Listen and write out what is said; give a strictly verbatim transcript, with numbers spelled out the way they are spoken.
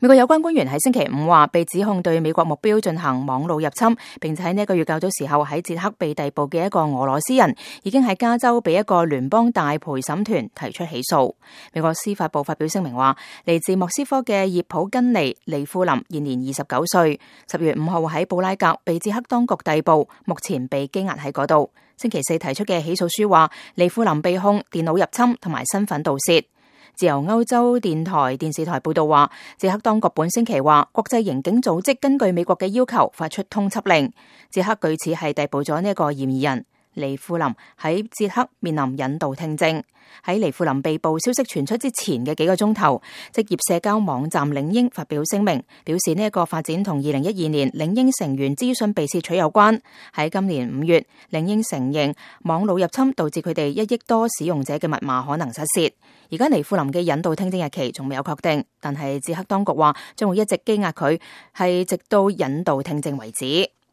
美國有關官員喺星期五話，被指控對美國目標進行網路入侵，並且喺呢一個月較早時候喺捷克被逮捕嘅一個俄羅斯人，已經喺加州被一個聯邦大陪審團提出起訴。美國司法部發表聲明話，嚟自莫斯科嘅葉普根尼利庫林現年二十九歲，十月五號喺布拉格被捷克當局逮捕，目前被羈押喺嗰度。星期四提出嘅起訴書話，利庫林被控電腦入侵同埋身份盜竊。自由歐洲電台電視台報道話，捷克當局本星期話，國際刑警組織根據美國嘅要求發出通緝令，捷克據此係逮捕咗呢一個嫌疑人。利庫林喺捷克面臨引渡聽證。喺利庫林被捕消息傳出之前嘅幾個鐘頭，職業社交網站領英發表聲明，表示呢一個發展同二零一二年領英成員資訊被竊取有關。喺今年五月，領英承認網路入侵導致佢哋一億多使用者嘅密碼可能失竊。而家利庫林嘅引渡聽證日期仲未有確定，但係捷克當局話將會一直羈押佢，係直到引渡聽證為止。